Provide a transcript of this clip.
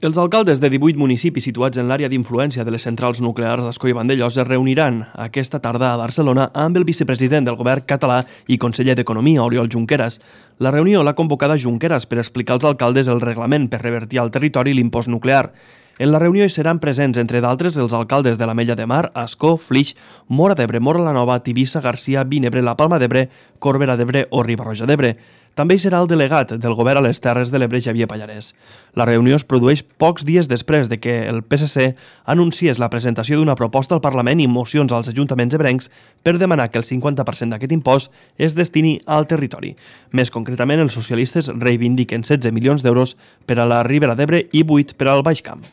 Els alcaldes de 18 municipis situats en l'àrea d'influència de les centrals nuclears d'Ascó i Vandellòs es reuniran aquesta tarda a Barcelona amb el vicepresident del govern català i conseller d'Economia, Oriol Junqueras. La reunió l'ha convocada Junqueras per explicar als alcaldes el reglament per revertir al territori l'impost nuclear. En la reunió hi seran presents, entre d'altres, els alcaldes de l'Ametlla de Mar, Ascó, Flix, Móra d'Ebre, Móra la Nova, Tivissa, Garcia, Vinebre, la Palma d'Ebre, Corbera d'Ebre o Riba-roja d'Ebre. També hi serà el delegat del govern a les Terres de l'Ebre, Xavier Pallarès. La reunió es produeix pocs dies després de que el PSC anunciés la presentació d'una proposta al Parlament i mocions als ajuntaments ebrencs per demanar que el 50% d'aquest impost es destini al territori. Més concretament, els socialistes reivindiquen 16 milions d'euros per a la Ribera d'Ebre i 8 per al Baix Camp.